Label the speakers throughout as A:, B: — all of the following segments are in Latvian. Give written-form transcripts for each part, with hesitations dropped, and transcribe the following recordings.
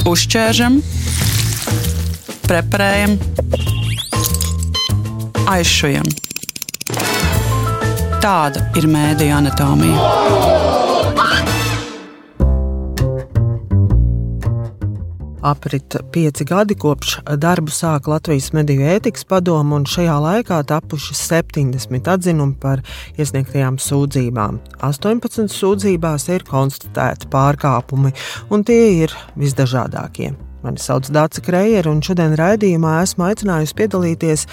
A: Uzķēršam, preparējam, aizšujam. Tāda ir mēdīju anatomija.
B: Aprit 5 gadi kopš darbu sāka Latvijas mediju ētikas padome, un šajā laikā tapuši 70 atzinumi par iesniegtajām sūdzībām. 18 sūdzībās ir konstatēti pārkāpumi, un tie ir visdažādākie. Mani sauc Dāca Krejere, un šodien raidījumā esmu aicinājusi piedalīties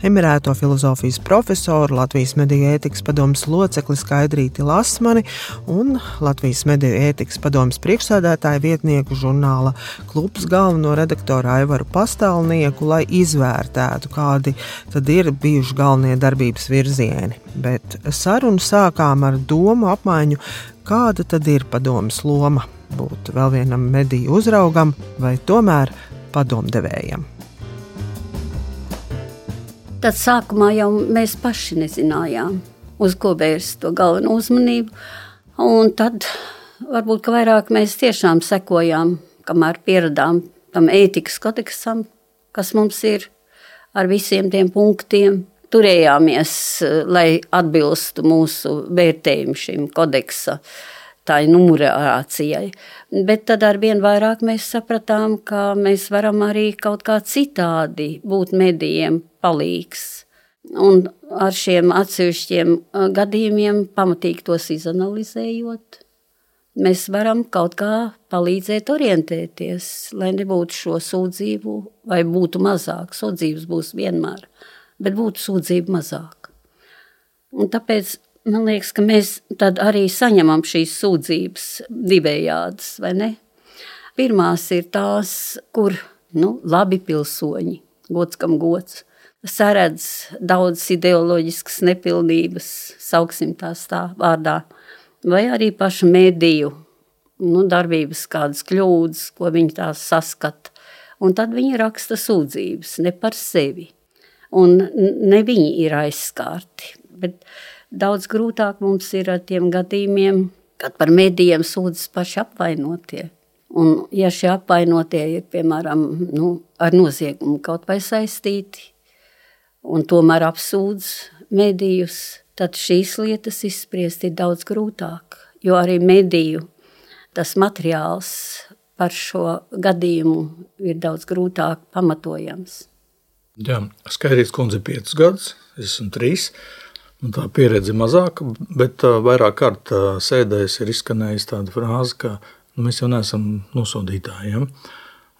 B: emerēto filozofijas profesoru, Latvijas mediju ētikas padomes locekli Skaidrīti Lasmani un Latvijas mediju ētikas padomes priekšsēdētāju vietnieku žurnāla Klubs galveno redaktoru Aivaru Pastālnieku, lai izvērtētu, kādi tad ir bijuši galvenie darbības virzieni. Bet sarunu sākām ar domu apmaiņu, kāda tad ir padomes loma. Būt vēl vienam mediju uzraugam vai tomēr padomdevējam?
C: Tad sākumā jau mēs paši nezinājām, uz ko vērst to galveno uzmanību. Un tad varbūt, ka vairāk mēs tiešām sekojām, kamēr pieradām tam ētikas kodeksam, kas mums ir ar visiem tiem punktiem. Turējāmies, lai atbilstu mūsu vērtējumu šim kodeksa tā numurācijai. Bet tad arvien vairāk mēs sapratām, ka mēs varam arī kaut kā citādi būt medijiem palīgs. Un ar šiem atsevišķiem gadījumiem pamatīgi tos izanalizējot, mēs varam kaut kā palīdzēt orientēties, lai nebūtu šo sūdzību, vai būtu mazāk. Sūdzības būs vienmēr, bet būtu sūdzību mazāk. Un tāpēc man liekas, ka mēs tad arī saņemam šīs sūdzības divējādas, vai ne? Pirmās ir tās, kur labi pilsoņi, gods kam gods, saredz daudz ideoloģiskas nepilnības, sauksim tās tā vārdā, vai arī pašu mediju darbības kādas kļūdas, ko viņi tās saskata. Un tad viņi raksta sūdzības, ne par sevi. Un ne viņi ir aizskārti, bet daudz grūtāk mums ir ar tiem gadījumiem, kad par medijiem sūdzas paši apvainotie. Un ja šie apvainotie ir, piemēram, ar noziegumu kaut vai saistīti un tomēr apsūdz medijus, tad šīs lietas izspriest ir daudz grūtāk, jo arī mediju tas materiāls par šo gadījumu ir daudz grūtāk pamatojams.
D: Jā, Skaidrītes kundze 5 gadus, es esmu 3. Un tā pieredze mazāka, bet vairāk kārt sēdēs ir izskanējusi tāda frāze, ka mēs jau neesam nosodītāji. Ja?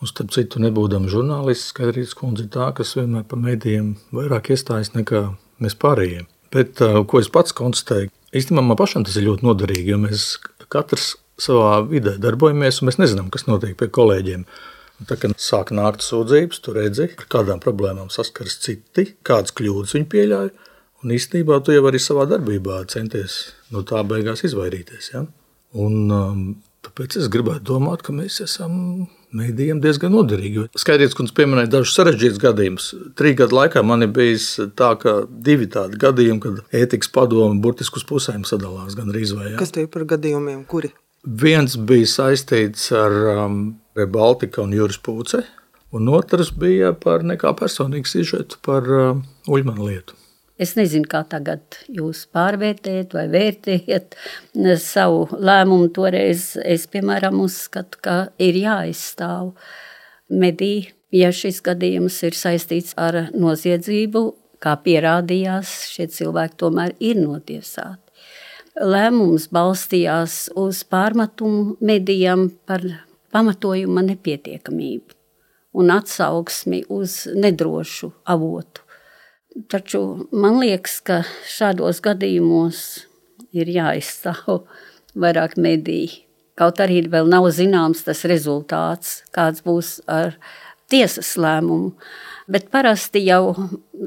D: Un starp citu, nebūdami žurnālisti, Skaidrītes kundze ir tā, kas vienmēr par medijiem vairāk iestājas nekā mēs pārējiem. Bet, ko es pats konstatēju, īstenībā man pašam tas ir ļoti noderīgi, jo mēs katrs savā vidē darbojamies, un mēs nezinām, kas notiek pie kolēģiem. Un tā, kad sāk nākt sūdzības, tu redzi, ar kādām problēmām saskaras citi, kādas kļūdas viņi pieļauj. Un īstenībā tu jau arī savā darbībā centies no tā beigās izvairīties. Ja? Un tāpēc es gribētu domāt, ka mēs esam medijiem diezgan noderīgi. Skaidrītes kundze pieminēja dažus sarežģītus gadījumus. 3 gadu laikā man ir bijis tā, ka 2 tādi gadījumi, kad ētikas padome burtiski uz pusēm sadalās gandrīz vai. Ja?
B: Kas tie par gadījumiem, kuri?
D: Viens bija saistīts ar Baltika un Juris Pūce, un otrs bija par nekā personīgu sižetu par Uļmanu lietu.
C: Es nezinu, kā tagad jūs pārvērtējat vai vērtējat savu lēmumu. Toreiz es, piemēram, uzskatu, ka ir jāizstāv mediji, ja šis gadījums ir saistīts ar noziedzību, kā pierādījās, šie cilvēki tomēr ir notiesāti. Lēmums balstījās uz pārmetumu medijam par pamatojuma nepietiekamību un atsauksmi uz nedrošu avotu. Taču man liekas, ka šādos gadījumos ir jāizstāv vairāk mediji. Kaut arī vēl nav zināms tas rezultāts, kāds būs ar tiesas lēmumu. Bet parasti jau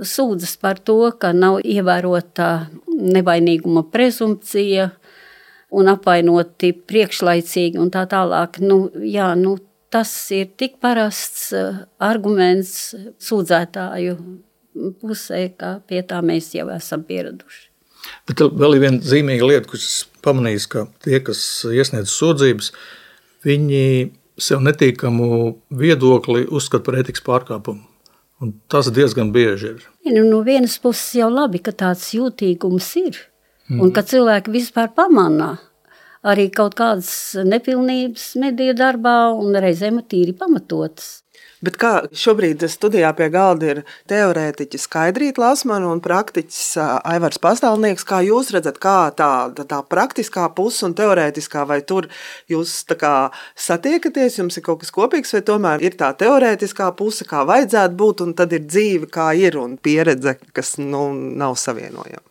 C: sūdzas par to, ka nav ievērota nevainīguma prezumpcija un apvainoti priekšlaicīgi un tā tālāk. Tas ir tik parasts arguments sūdzētāju pusē, ka pie tā mēs jau esam pieraduši.
D: Bet vēl ir viena zīmīga lieta, kas pamanīs, ka tie, kas iesniedz sūdzības, viņi sev netīkamu viedokli uzskata par ētikas pārkāpumu. Un tas diezgan bieži ir.
C: No vienas puses jau labi, ka tāds jūtīgums ir. Un ka cilvēki vispār pamanā arī kaut kādas nepilnības mediju darbā un reizēm tīri pamatotas.
B: Bet kā šobrīd studijā pie galda ir teorētiķis Skaidrīta Lasmana un praktiķis Aivars Pastāvnieks, kā jūs redzat, kā tā praktiskā puse un teorētiskā, vai tur jūs tā kā satiekaties, jums ir kaut kas kopīgs, vai tomēr ir tā teorētiskā puse, kā vajadzētu būt, un tad ir dzīve, kā ir, un pieredze, kas nav savienojama?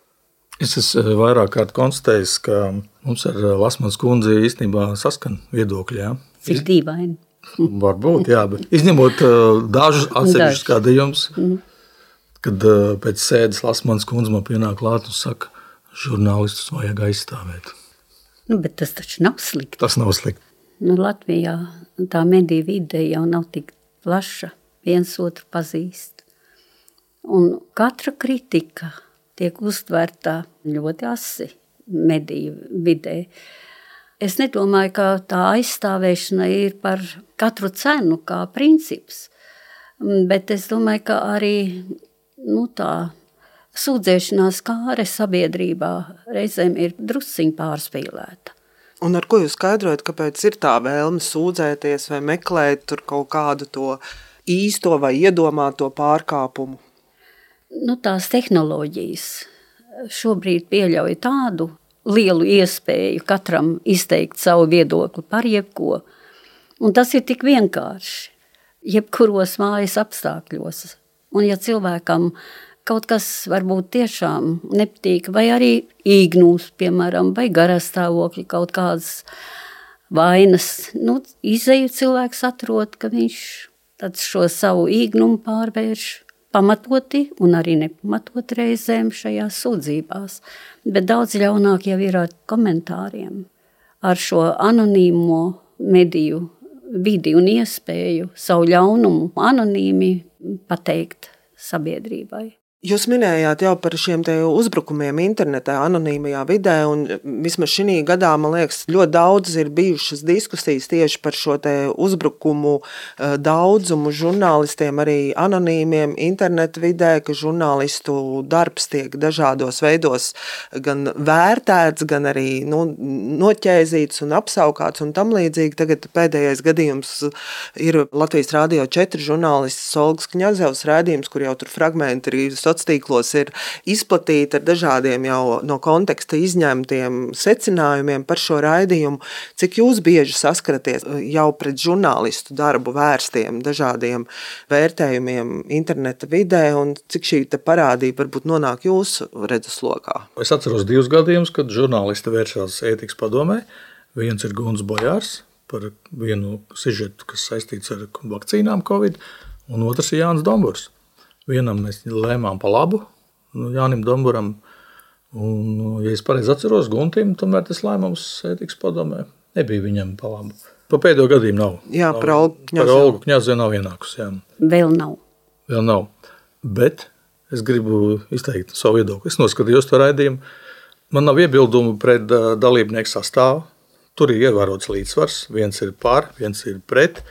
D: Es esmu vairāk kārt konstatējis, ka mums ar Lasmanas kundzi īstenībā saskan viedokļi. Ja?
C: Cik dīvaini.
D: Varbūt, jā, bet izņemot dažus atsevišķus gadījumus, kad pēc sēdes Lasmanas kundze man pienāk klāt un saka, žurnālistus vajag aizstāvēt.
C: Bet tas taču nav slikti.
D: Tas nav slikti.
C: Latvijā tā mediju vide jau nav tik plaša, viens otru pazīst. Un katra kritika tiek uztverta ļoti asi mediju vidē. Es nedomāju, ka tā aizstāvēšana ir par katru cenu kā princips, bet es domāju, ka arī tā sūdzēšanās kāre sabiedrībā reizēm ir drusciņ pārspīlēta.
B: Un ar ko jūs skaidrojat, kāpēc ir tā vēlme sūdzēties vai meklēt tur kaut kādu to īsto vai iedomāto pārkāpumu?
C: Tās tehnoloģijas šobrīd pieļauj tādu lielu iespēju katram izteikt savu viedokli par jebko. Un tas ir tik vienkārši, jebkuros mājas apstākļos. Un ja cilvēkam kaut kas varbūt tiešām nepatīk, vai arī īgnūs, piemēram, vai garastāvokļi, kaut kādas vainas, izeju cilvēks atrod, ka viņš tad šo savu īgnumu pārvērš pamatoti un arī nepamatot reizēm šajās sūdzībās. Bet daudz ļaunāk jau ir ar komentāriem, ar šo anonīmo mediju vidi un iespēju savu ļaunumu anonīmi pateikt sabiedrībai.
B: Jūs minējāt jau par šiem te uzbrukumiem internetā, anonīmajā vidē, un vismaz šī gadā, man liekas, ļoti daudz ir bijušas diskusijas tieši par šo te uzbrukumu daudzumu žurnālistiem, arī anonīmiem interneta vidē, ka žurnālistu darbs tiek dažādos veidos gan vērtēts, gan arī noķēzīts un apsaukāts un tam līdzīgi. Tagad pēdējais gadījums ir Latvijas Rādio 4 žurnālists Olgas Kņazevs raidījums, kur jau tur fragmenti ir sociālos ir izplatīti ar dažādiem jau no konteksta izņemtiem secinājumiem par šo raidījumu. Cik jūs bieži saskaraties jau pret žurnālistu darbu vērstiem dažādiem vērtējumiem interneta vidē, un cik šī parādība varbūt nonāk jūsu redzeslokā?
D: Es atceros 2 gadījumus, kad žurnālisti vēršās ētikas padomē. Viens ir Guns Bojārs par vienu sižetu, kas saistīts ar vakcīnām Covid, un otrs ir Jānis Domburs. Vienam mēs lēmām pa labu, Jānim Domburam, un, ja es pareizi atceros, Guntim, tomēr tas lēmums ētikas padomē nebija viņam pa labu. Pa pēdējo gadījumu nav.
B: Jā, par
D: Olgu Kņazevu nav ienākus. Jā.
C: Vēl nav.
D: Bet es gribu izteikt savu viedokli. Es noskatījos to raidījumu. Man nav iebildumu pret dalībnieku sastāvu. Tur ir ievērots līdzsvars. Viens ir par, viens ir pret.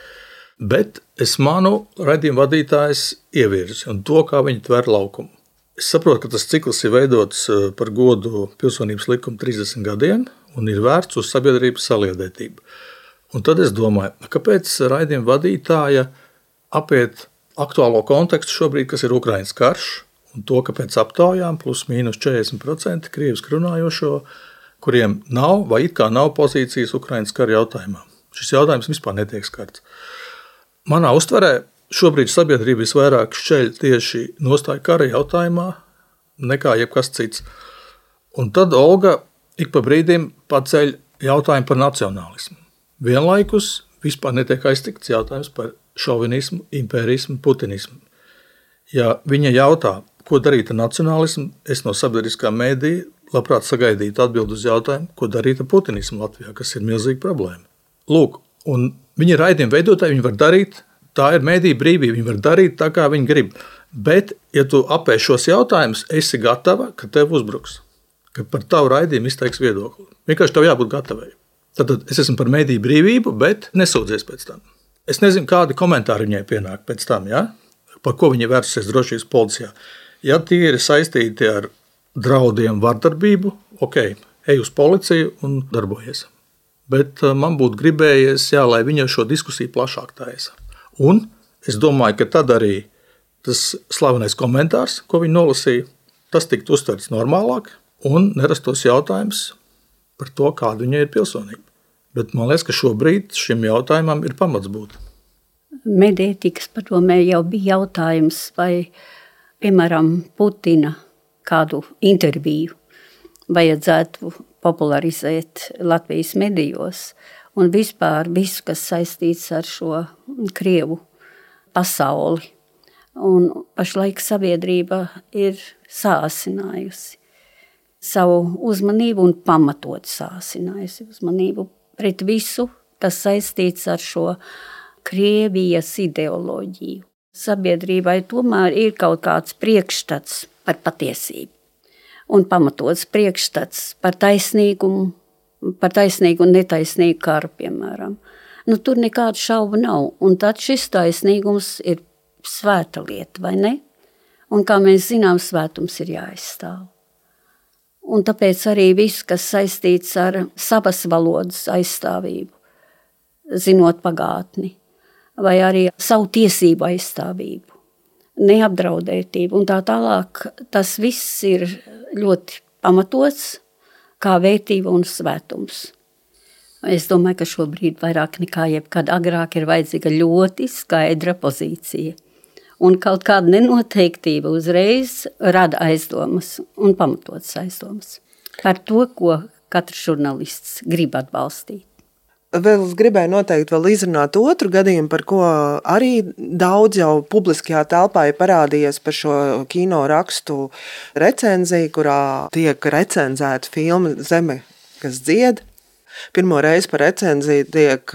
D: Bet es manu raidījumu vadītājs ievirzi un to, kā viņi tver laukumu. Es saprotu, ka tas cikls ir veidots par godu pilsonības likuma 30 gadiem un ir vērts uz sabiedrības saliedētību. Un tad es domāju, kāpēc raidījuma vadītāja apiet aktuālo kontekstu šobrīd, kas ir Ukrainas karš, un to, ka pēc aptaujām plus mīnus 40% krieviski runājošo, kuriem nav vai it kā nav pozīcijas Ukrainas kara jautājumā. Šis jautājums vispār netiek skarts. Manā uztverē šobrīd sabiedrība visvairāk šķeļ tieši nostāju kara jautājumā nekā jebkas cits. Un tad Olga ik pa brīdim paceļ jautājumu par nacionālismu. Vienlaikus vispār netiek aiztikts jautājums par šovinismu, impērismu, putinismu. Ja viņa jautā, ko darīt ar nacionālismu, es no sabiedriskā mēdīja labprāt sagaidītu atbildi uz jautājumu, ko darīt ar putinismu Latvijā, kas ir milzīga problēma. Lūk, un viņi ir raidījuma veidotāji, viņi var darīt, tā ir mēdīja brīvība, viņi var darīt tā, kā viņi grib. Bet, ja tu apēj šos jautājumus, esi gatava, ka tev uzbruks, ka par tavu raidījumu izteiks viedokli. Vienkārši tev jābūt gatavai. Tad es esmu par mediju brīvību, bet nesūdzies pēc tam. Es nezinu, kādi komentāri viņai pienāk pēc tam, ja? Par ko viņa vērsusies drošības policijā. Ja tie ir saistīti ar draudiem, vardarbību, ok, ej uz policiju un darbojies. Bet man būtu gribējies, jā, lai viņa šo diskusiju plašāk taisa. Un es domāju, ka tad arī tas slavenais komentārs, ko viņa nolasīja, tas tiktu uztverts normālāk un nerastos jautājums par to, kāda viņai ir pilsonība. Bet man liekas, ka šobrīd šim jautājumam ir pamats būt.
C: Mediētikas padomē jau bija jautājums, vai, piemēram, Putina kādu interviju vajadzētu popularizēt Latvijas medijos un vispār visu, kas saistīts ar šo Krievu pasauli. Un pašlaik sabiedrība ir sāsinājusi savu uzmanību un pamatot sāsinājusi uzmanību pret visu, kas saistīts ar šo Krievijas ideoloģiju. Sabiedrībai tomēr ir kaut kāds priekšstats par patiesību un pamatots priekšstats par taisnīgumu un netaisnīgu karu, piemēram. Tur nekāda šauba nav, un tad šis taisnīgums ir svēta lieta, vai ne? Un kā mēs zinām, svētums ir jāaizstāv. Un tāpēc arī viss, kas saistīts ar savas valodas aizstāvību, zinot pagātni, vai arī savu tiesību aizstāvību, neapdraudētību un tā tālāk, tas viss ir ļoti pamatots kā vērtība un svētums. Es domāju, ka šobrīd vairāk nekā jebkad agrāk ir vajadzīga ļoti skaidra pozīcija. Un kaut kāda nenoteiktība uzreiz rada aizdomas un pamatotas aizdomas par to, ko katrs žurnālists grib atbalstīt.
B: Vēl es gribēju noteikti vēl izrunāt otru gadījumu, par ko arī daudz jau publiskajā telpā ir parādījies par šo kino rakstu recenziju, kurā tiek recenzēta filma Zeme, kas dzied. Pirmo reizi par recenziju tiek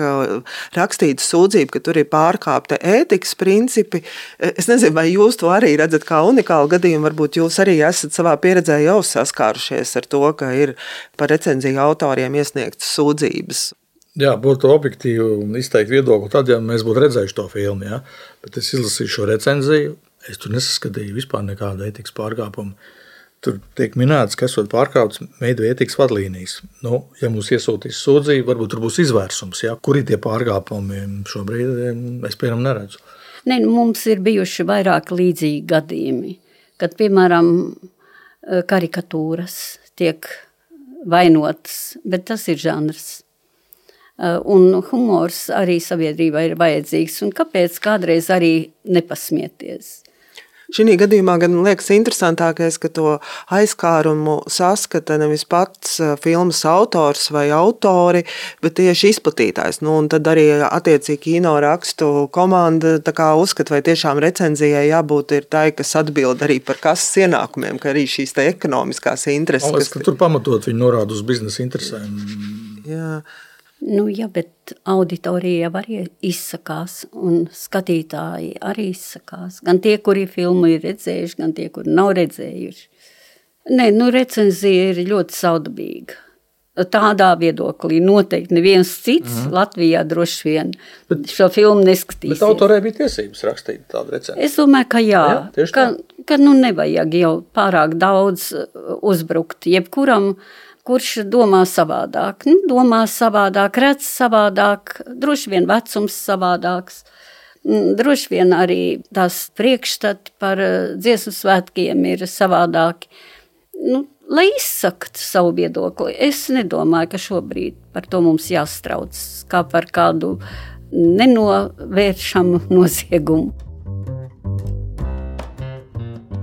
B: rakstīta sūdzība, ka tur ir pārkāpta ētikas principi. Es nezinu, vai jūs to arī redzat kā unikālu gadījumu, varbūt jūs arī esat savā pieredzē jau saskārušies ar to, ka ir par recenziju autoriem iesniegtas sūdzības.
D: Jā, būtu objektīvi izteikt viedokli tad, ja mēs būtu redzējuši to filmu, ja? Bet es izlasīju šo recenziju, es tur nesaskatīju vispār nekādu ētikas pārkāpumu. Tur tiek minēts, ka esot pārkāpts mediju ētikas vadlīnijas. Ja mums iesūtīs sūdzību, varbūt tur būs izvērsums, ja? Kur ir tie pārkāpumi šobrīd, es piemēram neredzu.
C: Mums ir bijuši vairāk līdzīgi gadījumi, kad, piemēram, karikatūras tiek vainotas, bet tas ir žanrs. Un humors arī sabiedrībā ir vajadzīgs, un kāpēc kādreiz arī nepasmieties?
B: Šī gadījumā gan liekas interesantākais, ka to aizkārumu saskata nevis pats filmas autors vai autori, bet tieši izplatītājs. Un tad arī attiecīgi kino rakstu komanda uzskata, vai tiešām recenzijai jābūt ir tai, kas atbild arī par kases ienākumiem, ka arī šīs te ekonomiskās intereses.
D: Man liekas, ka tur pamatot viņi norāda uz biznesa interesēm.
B: Jā.
C: Bet auditorija arī izsakās un skatītāji arī izsakās. Gan tie, kuri filmu ir redzējuši, gan tie, kuri nav redzējuši. Recenzija ir ļoti saudabīga. Tādā viedoklī noteikti neviens cits Latvijā droši vien šo filmu neskatīsies. Bet
D: autorē bija tiesības rakstīt tādu recenziju?
C: Es domāju, ka jā. Ka nevajag jau pārāk daudz uzbrukt jebkuram, kurš domā savādāk. Domā savādāk, redz savādāk, droši vien vecums savādāks. Droši vien arī tās priekšstati par dziesmu svētkiem ir savādāki. Lai izsakt savu viedokli, es nedomāju, ka šobrīd par to mums jāstrauc, kā par kādu nenovēršamu noziegumu.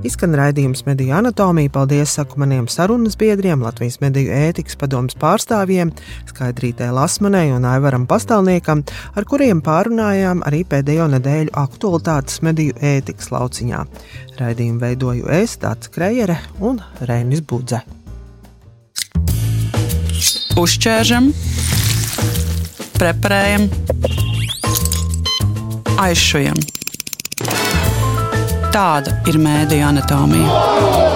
B: Izskan raidījums Mediju anatomija. Paldies saku maniem sarunas biedriem, Latvijas mediju ētikas padomes pārstāvjiem, Skaidrītei Lasmanai un Aivaram Pastāvniekam, ar kuriem pārunājām arī pēdējo nedēļu aktualitātes mediju ētikas lauciņā. Raidījumu veidoju es, Dāca Krejere un Reinis Budze.
A: Uzķēršam, preparējam, aizšujam. Tāda ir mediju anatomija.